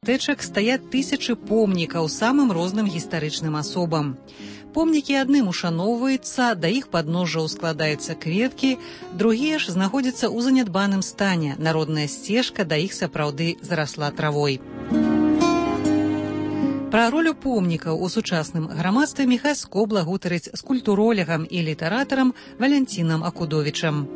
мястэчак стаяць тысячы помнікаў самым розным гістарычным асобам. Помнікі адным ушаноўваюцца, да іх падножжаў складаюцца кветкі, другія ж знаходзяцца ў занядбаным стане, народная сцежка да іх сапраўды зарасла травой. Пра ролю помнікаў у сучасным грамадстве Міхась Скобла гутарыць з культуролегам і літаратарам Валянцінам Акудовічам.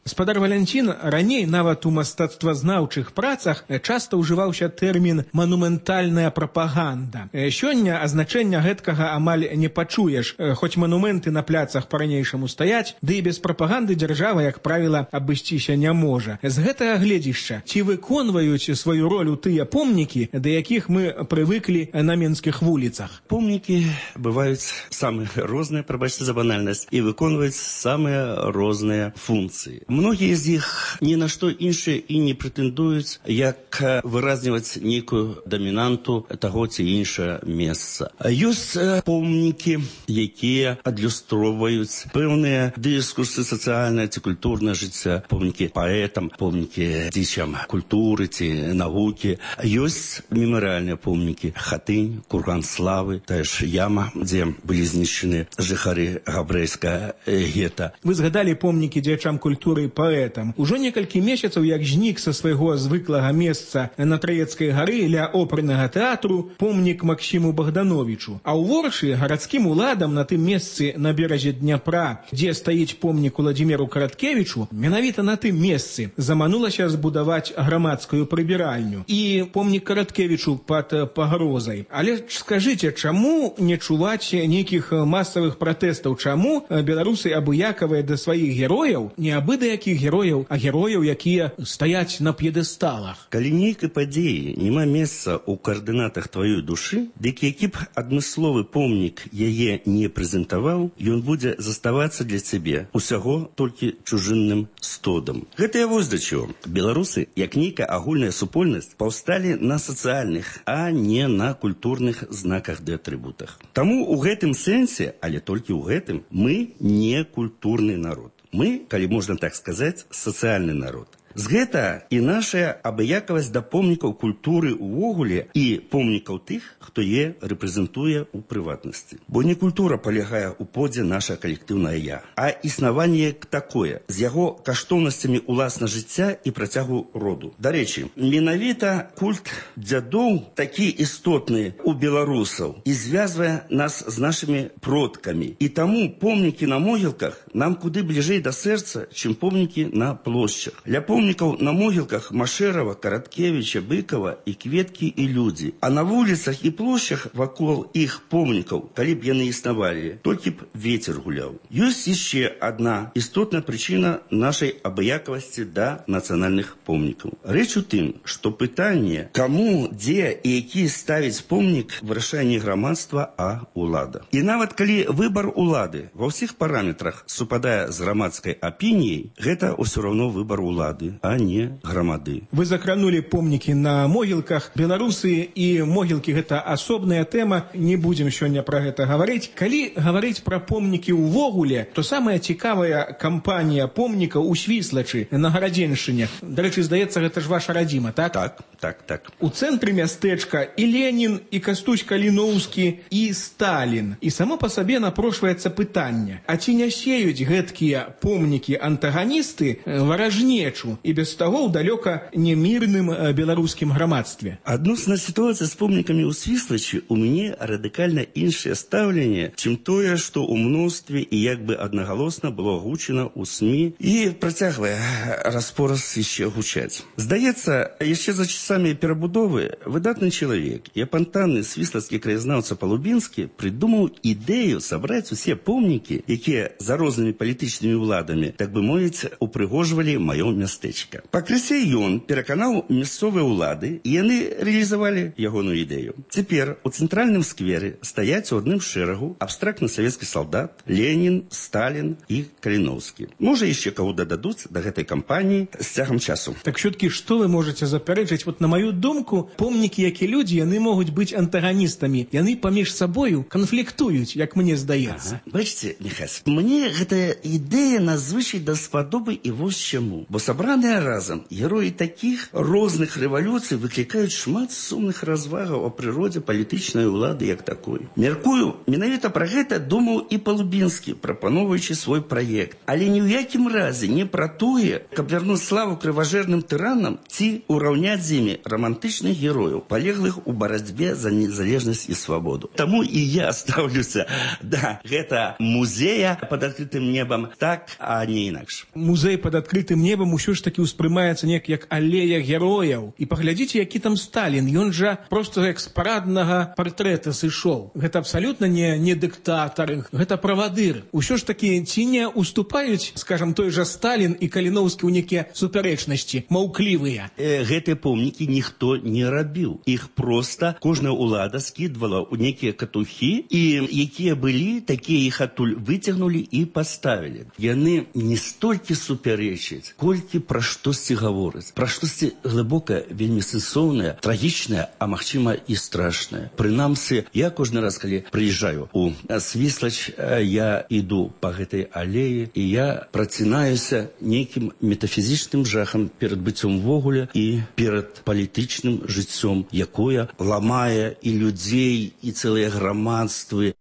Спадар Валянцін, раней нават у мастацтвазнаўчых працах часта ўжываўся тэрмін «манументальная прапаганда». Сёння азначэння гэткага амаль не пачуеш, хоць манументы на пляцах па-ранейшаму стаяць, ды і без прапаганды дзяржава, як правіла, абысціся не можа. З гэтага гледзішча, ці выконваюць сваю ролю тыя помнікі, да якіх мы прывыклі на менскіх вуліцах? Помнікі бываюць самыя розныя, прабачце за банальнасць, і выконваюць самыя розныя функцыі. Многія з іх ні на што іншае і не прэтэндуюць, як выразніваць нейкую дамінанту таго ці іншае месца. Ёсць помнікі, якія адлюстроўваюць пэўныя дыскурсы сацыяльнае ці культурнае жыцця, помнікі паэтам, помнікі дзічам культуры ці навукі. Ёсць мемарыяльныя помнікі, Хатынь, Курган славы, тая ж яма, дзе былі знішчаны жыхары габрэйскага гета. Вы згадалі помнікі дзячам культуры паэтам. Ужо некалькі месяцаў, як знік са свайго звыклага месца на Траецкай гары ля опернага тэатру помнік Максіму Богдановичу. А ў Воршы гарадскім уладам на тым месцы на беразе Дняпра, дзе стаіць помнік Уладзіміру Караткевічу, менавіта на тым месцы заманулася збудаваць грамадскую прыбіральню і помнік Караткевічу пад пагрозай. Але скажыце, чаму не чуваць нейкіх масавых пратэстаў? Чаму беларусы абыякавыя да сваіх герояў, не абы да якіх герояў, а герояў, якія стаяць на п'едэсталах? Калі нейкай падзеі няма месца ў каардынатах тваёй душы, дык які б адмысловы помнік яе не прэзентаваў, ён будзе заставацца для цябе усяго толькі чужынным стодам. Гэта вось да чаго. Беларусы, як нейкая агульная супольнасць, паўсталі на сацыяльных, а не на культурных знаках ды атрыбутах. Таму ў гэтым сэнсе, але толькі ў гэтым, мы не культурны народ. Мы, калі можна так сказаць, сацыяльны народ. З гэта і наша абыякавасць да помнікаў культуры ўвогуле і помнікаў тых, хто е рэпрэзентуе ў прыватнасці. Бо не культура палягае ў подзе наша калектыўнае я, а існаванне такое, з яго каштоўнасцямі ўласна жыцця і працягу роду. Дарэчы, менавіта культ дзядоў такі істотны ў беларусаў і звязвае нас з нашымі продкамі. І таму помнікі на могілках нам куды бліжэй да сэрца, чым помнікі на плошчах. Ля помнікаў на могілках Машэрава, Караткевіча, Быкова і кветкі і людзі. А на вуліцах і плошчах вакол іх помнікаў, калі б яны існавалі, толькі б вецер гуляў. Ёсць яшчэ адна істотная прычына нашай абыякавасці да нацыянальных помнікаў. Рэч у тым, што пытанне, каму, дзе і які ставіць помнік, вырашае не грамадства, а ўлада. І нават калі выбар улады ва ўсіх параметрах супадае з грамадскай апініяй, гэта ўсё роўно выбар улады, а не грамады. Вы закранули помнікі на могілках. Беларусы і могілкі — гэта асобная тэма, не будзем сёння пра гэта гаварыць. Калі гаварыць пра помнікі ўвогуле, то самая цікавая кампанія помнікаў у Свіслачы на Гарадзеншчыне. Дарэчы, здаецца, гэта ж ваша радзіма, так? Так. У цэнтры мястэчка і Ленін, і Кастусь Каліноўскі, і Сталін. І само па сабе напрошваецца пытанне, а ці не сеюць гэткія помнікі антаганісты варажнечу і без таго ў далёка немірным беларускім грамадстве? Адносна сітуацыі з помнікамі ў Свіслачы у мяне радыкальна іншае стаўленне, чым тое, што ў мностве і як бы аднагалосна было гучана ў СМІ і працягвае распораз яшчэ гучаць. Здаецца, яшчэ за часамі перабудовы выдатны чалавек і апантанны свіслацкі краязнаўца Палубінскі прыдумаў ідэю сабраць усе помнікі, якія за рознымі палітычнымі ўладамі, так бы мовіць, упрыгожвалі маё мястэчка. Пакрысе ён пераканаў мясцовыя ўлады, і яны рэалізавалі ягоную ідэю. Цяпер у цэнтральным скверы стаяць у адным шэрагу абстрактны савецкі салдат, Ленін, Сталін і Каліноўскі. Можа, яшчэ каго дададуць да гэтай кампаніі з цягам часу. Так все-таки, что вы можете запярэчыць? Вот на мою думку, помнікі, як і людзі, яны могуць быць антаганістамі. Яны паміж сабою канфліктуюць, як мне здаецца. Бачыце, Міхась, мне гэтая ідэя надзвычай даспадобы і вось чаму. Бо сабраныя разам героі такіх розных рэвалюцый выклікаюць шмат сумных развагаў о прыродзе палітычнай улады як такой. Мяркую, менавіта пра гэта думаў і Палубінскі, прапановуючы свой праект. Але ні ў якім разе не пра тое, каб вярнуць славу крыважэрным тыранам ці ураўняць з імі романтычных герояў, палеглых у барацьбе за незалежнасць і свабоду. Таму і я стаўлюся да гэта музея пад адкрытым небам так, а не інакш. Музей пад адкрытым небам усё ж такі ўспрымаецца неяк як алея герояў. І паглядзіце, які там Сталін. Ён жа проста як з параднага партрэта сышоў. Гэта абсалютна не дыктатар, гэта правадыр. Усё ж такі ці не уступаюць, скажам, той жа Сталін і Каліноўскі ў некія супярэчнасці, маўклівыя. Гэтыя помнікі ніхто не рабіў. Іх проста кожная ўлада скідвала ў некія катухі, і якія былі, такія іх адтуль выцягнулі і паставілі. Яны не столькі супярэчаць, колькі пра штосьці гавораць. Пра штосьці глыбокае, вельмі сэнсоўнае, трагічнае, а магчыма і страшнае. Прынамсі, я кожны раз, калі прыязджаю у Свіслач, я іду па гэтай алеі, і я працінаюся нейкім метафізічным жахам перад быццём ввогуле і перад палітычным жыццём, якое ламае і людзей, і цэлыя грамадствы.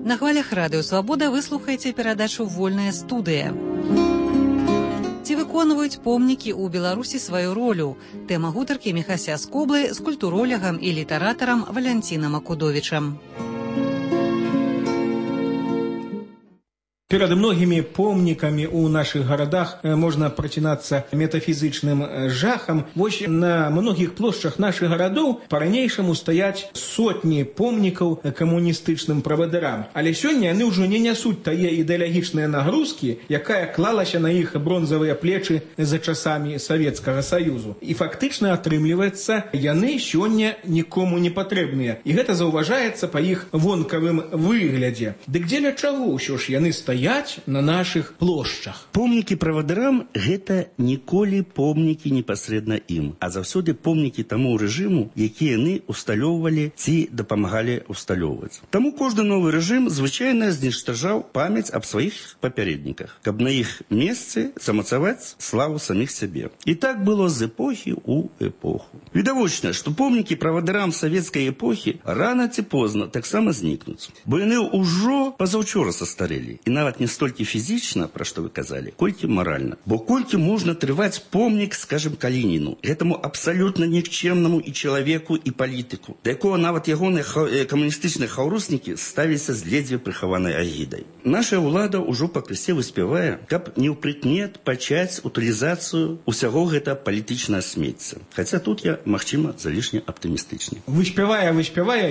На хвалях Радыё Свабода вы слухаеце перадачу «Вольная студыя». Ці выконваюць помнікі ў Беларусі сваю ролю? Тэма гутаркі Міхася Скоблы з культуролягам і літаратарам Валянцінам Акудовічам. Перад многімі помнікамі ў нашых гарадах можна працінацца метафізічным жахам. Вось на многіх плошчах нашых гарадоў па-ранейшаму стаяць сотні помнікаў камуністычным правадырам. Але сёння яны ўжо не нясуць тае ідэалагічныя нагрузкі, якая клалася на іх бронзавыя плечы за часамі Савецкага Саюзу. І фактычна атрымліваецца, яны сёння нікому не патрэбныя. І гэта заўважаецца па іх вонкавым выглядзе. Дык дзеля чаго ўсё ж яны стаяць на наших плошчах? Помнікі правадырам – гэта ніколі помнікі непасрэдна ім, а заўсёды помнікі таму рэжыму, які яны усталёўвалі ці дапамагалі усталёўваць. Таму кожны новы рэжым звычайна зніштажаў памяць аб сваіх папярэдніках, каб на іх месцы замацаваць славу саміх сябе. І так было з эпохі ў эпоху. Відавочна, што помнікі правадырам савецкай эпохі рана ці позна таксама знікнуць, бо яны ўжо пазаўчора састарэлі, і нават не столькі фізічна, пра што вы казалі, колькі маральна. Бо колькі можна трываць помнік, скажем, Калініну, гэтаму абсалютна нікчэмнаму і чалавеку, і палітыку, да якога нават ягоныя камуністычныя хаўруснікі ставіліся з ледзьве прыхаванай агідай. Наша ўлада ўжо пакрысе выспявае, каб не ўпрыкмет пачаць утылізацыю ўсяго гэта палітычнае смецця. Хаця тут я, магчыма, залішне аптымістычны. Выспявае,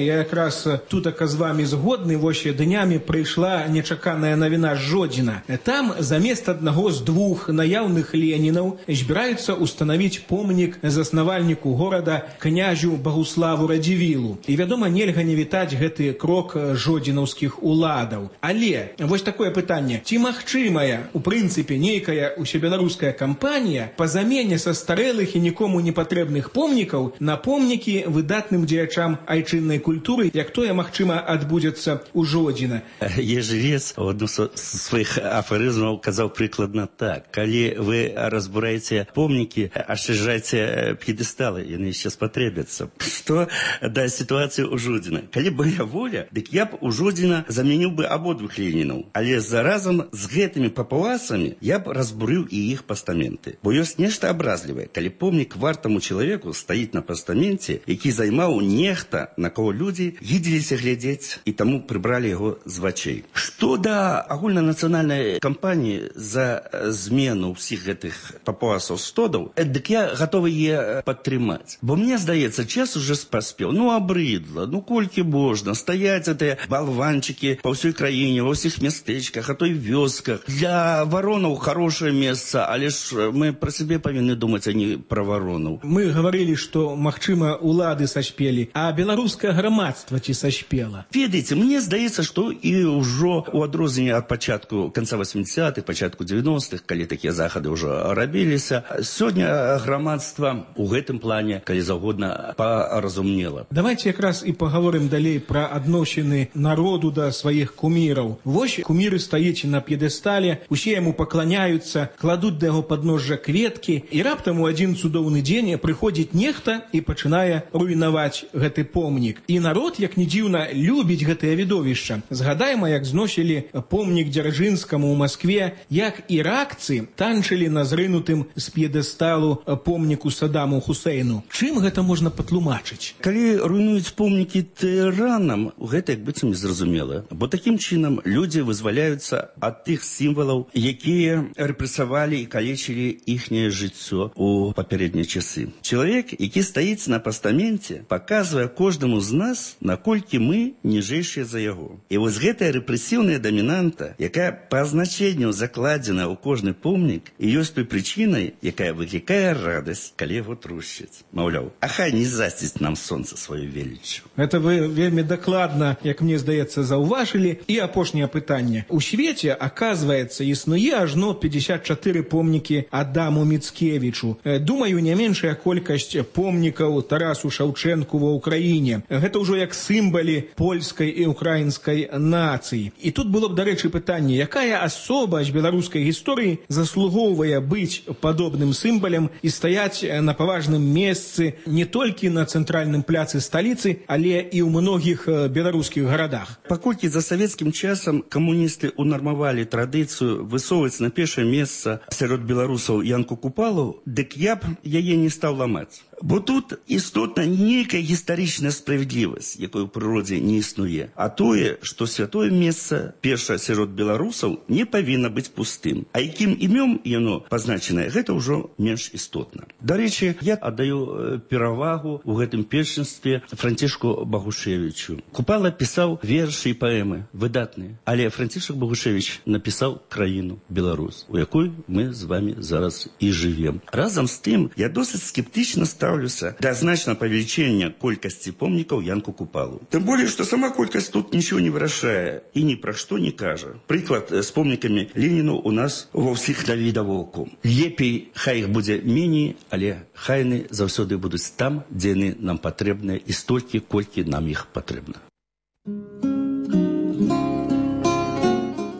я якраз тутака з вамі згодны. Вось днямі прыйшла нечаканая навіна з Жодзіна. Там замест аднаго з двух наяўных Ленінаў збіраюцца устанавіць помнік заснавальніку горада князю Багуславу Радзівілу. І, вядома, нельга не вітаць гэты крок жодзінаўскіх уладаў. Але вось такое пытанне. Ці магчымая, у прынцыпе, нейкая усебеларуская кампанія па замене састарэлых і нікому не патрэбных помнікаў на помнікі выдатным дзеячам айчыннай культуры, як тое, магчыма, адбудзецца ў Жодзіна? Ежелец одну з сваіх афарызмаў казаў прыкладна так: калі вы разбураеце помнікі, ашчаджайце п'едэсталы, яны яшчэ спатрэбяцца. Што да сітуацыі ў Жодзіна? Калі б моя воля, дык я б у Жодзіна замяніў бы абодвух Ленінаў, але заразам з гэтымі папуасамі я б разбурыў і іх пастаменты. Бо ёсць нешта абразлівае, калі помнік вартаму чалавеку стаіць на пастаменце, які займаў нехта, на кого людзі гідзіліся глядзець, і таму прыбралі яго з вачэй. Што да агульнанацыянальнай кампаніі за змену ўсіх гэтых папуасаў-стодаў, дык я гатовы яе падтрымаць. Бо мне здаецца, час уже паспеў. Абрыдла, колькі можна стаяць гэтыя балванчыкі па ўсёй краіне, ва ўсіх мястэчках, а то і вёсках. Для варонаў хорошае месца, але ж мы пра сябе павінны думаць, а не пра варонаў. Мы гаварылі, што, магчыма, улады саспелі, а беларускае грамадства ці саспела? Ведаеце, мне здаецца, што і ўжо у адрозненне ад пачатку канца 80-х, пачатку 90-х, калі такія захады ўжо рабіліся. Сёння грамадства ў гэтым плане, калі заўгодна, паразумнела. Давайте якраз і паговорым далей пра адносіны народу да сваіх куміраў. Вось куміры стаіць на п'едэстале, усе яму пакланяюцца, кладуць да яго падножжа кветкі, і раптам у адзін цудоўны дзень прыходзіць нехта і пачынае руйнаваць гэты помнік. І народ, як ні дзіўна, любіць гэтае відовішча. Згадайма, як зносілі помнік Дзяржынскаму ў Маскве, як іракцы танчылі на зрынутым з п'едэсталу помніку Саддаму Хусейну. Чым гэта можна патлумачыць? Калі руйнуюць помнікі тыранам, гэта як быццам незразумела. Бо такім чынам людзі вызваляюцца ад тых сімвалаў, якія рэпрэсавалі і калечылі іхняе жыццё ў папярэднія часы. Чалавек, які стаіць на пастаменце, паказвае кожнаму з нас, наколькі мы ніжэйшыя за яго. І вось гэтая рэпрэсіўная дамінанта, якая па азначэнню закладзена ў кожны помнік, і ёсць той прычынай, якая выклікае радасць, калі яго трушчаць. Маўляў, а хай не засціць нам сонца сваю веліччю. Гэта вы вельмі дакладна, як мне здаецца, заўважылі. І апошняе пытанне. У свеце, аказваецца, існуе ажно 54 помнікі Адаму Міцкевічу. Думаю, не меншая колькасць помнікаў Тарасу Шаўчэнку ва ўкраіне. Гэта ўжо як сімвалы польскай і украінскай нацыі. І тут было б, дарэчы, пытанне, якая асоба з беларускай гісторыі заслугоўвае быць падобным сімвалам і стаяць на паважным месцы не толькі на цэнтральным пляцы сталіцы, але і ў многіх беларускіх гарадах. Паколькі за савецкім часам камуністы унармавалі традыцыю высоўваць на першае месца сярод беларусаў Янку Купалу, дык я б яе не стаў ламаць. Бо тут істотна нейкая гістарычная справядлівасць, якой у прыродзе не існуе. А тое, што святое месца, першае сярод беларусаў, не павінна быць пустым. А якім імём яно пазначанае, гэта ўжо менш істотна. Дарэчы, я аддаю перавагу ў гэтым першынстве Францішку Багушевічу. Купала пісаў вершы і паэмы, выдатныя. Але Францішак Багушевіч напісаў краіну Беларусь, у якой мы з вами зараз і жывем. Разам з тым, я досыць скептычна ставлюся да значного павелічэння колькасці помнікаў Янку Купалу. Тым болей, што сама колькасць тут нічого не вырашае і ні пра што не кажа. Прыклад з помнікамі Леніну у нас ва ўсіх навідавоку. Лепей, хай іх будзе меней, але хай яны заўсёды будуць там, дзе яны нам патрэбныя і столькі, колькі нам іх патрэбна.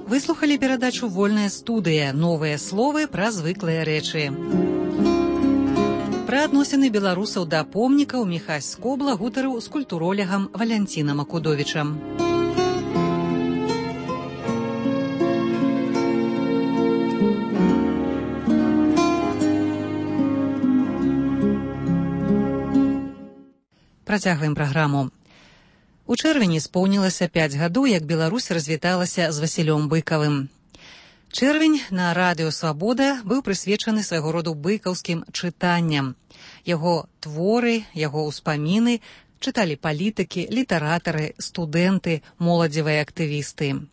Выслухалі перадачу «Вольная студыя». Новыя словы пра звыклыя рэчы. Пра адносіны беларусаў да помнікаў Міхась Скобла гутарыў з культуролегам Валянцінам Акудовічам. Працягваем праграму. У чэрвені споўнілася 5 гадоў, як Беларусь развіталася з Васілём Быкавым. Чэрвень на радыё «Свабода» быў прысвечаны свайго роду быкаўскім чытанням. Яго творы, яго ўспаміны чыталі палітыкі, літаратары, студэнты, моладзевыя актывісты.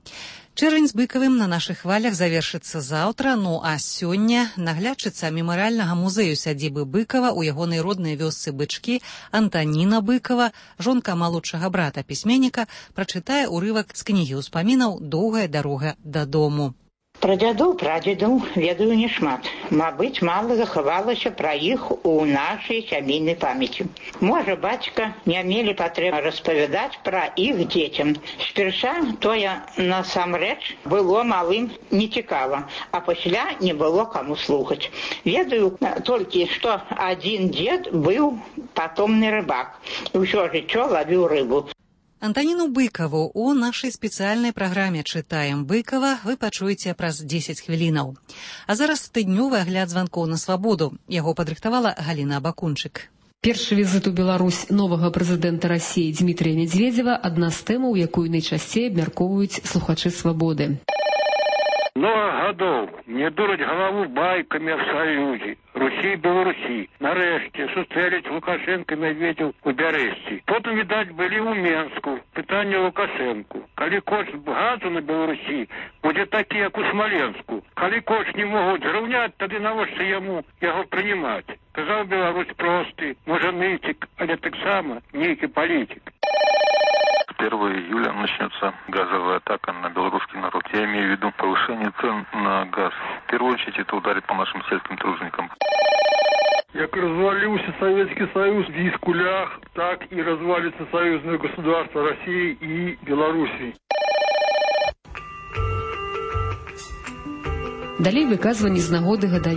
Чэрвень з Быкавым на нашых хвалях завершыцца заўтра, ну а сёння наглядчыца мемарыяльнага музею сядзібы Быкава ў ягонай роднай вёсцы Бычкі Антаніна Быкава, жонка малодшага брата пісьменніка, прачытае ўрывак з кнігі ўспамінаў «Доўгая дарога дадому». Пра дзядоў, прадзедаў ведаю няшмат. Мабыць, мала захавалася пра іх у нашай сямейнай памяці. Можа, бацька не мелі патрэбы распавядаць пра іх дзецям. Спярша тое насамрэч было малым нецікава, а пасля не было каму слухаць. Ведаю толькі, што адзін дзед быў патомны рыбак і ўсё жыццё лавіў рыбу. Антаніну Быкаву у нашай спецыяльнай праграме «Чытаем Быкава» вы пачуеце праз 10 хвілінаў. А зараз тыднёвы агляд званкоў на свабоду. Яго падрыхтавала Галіна Абакунчык. Першы візит у Беларусь новага прэзідэнта Расіі Дмітрія Медзведзева – адна з тэмаў, якую найчасцей абмяркоўваюць слухачы свабоды. Много годов мне дурать голову байками о союзе Русі і Беларусі. Нарешті сустрелись Лукашенко і Медведев у Бярэсці. Потім, відать, були у Менску. Питання Лукашенку. Коли кошт газу на Беларусі буде такий, як у Смоленську. Коли кошт не можуть зрівняти, тоді навіщо йому його приймати? Казав Білорусь простий, може нитик, але так само нейкий політик. 1 июля начнется газовая атака на белорусский народ. Я имею в виду повышение цен на газ. В первую очередь это ударит по нашим сельским труженикам. Як развалился Советский Союз в Искулях, так и развалится союзное государство России и Белоруссии. Далей выказванні з нагоды гадавіны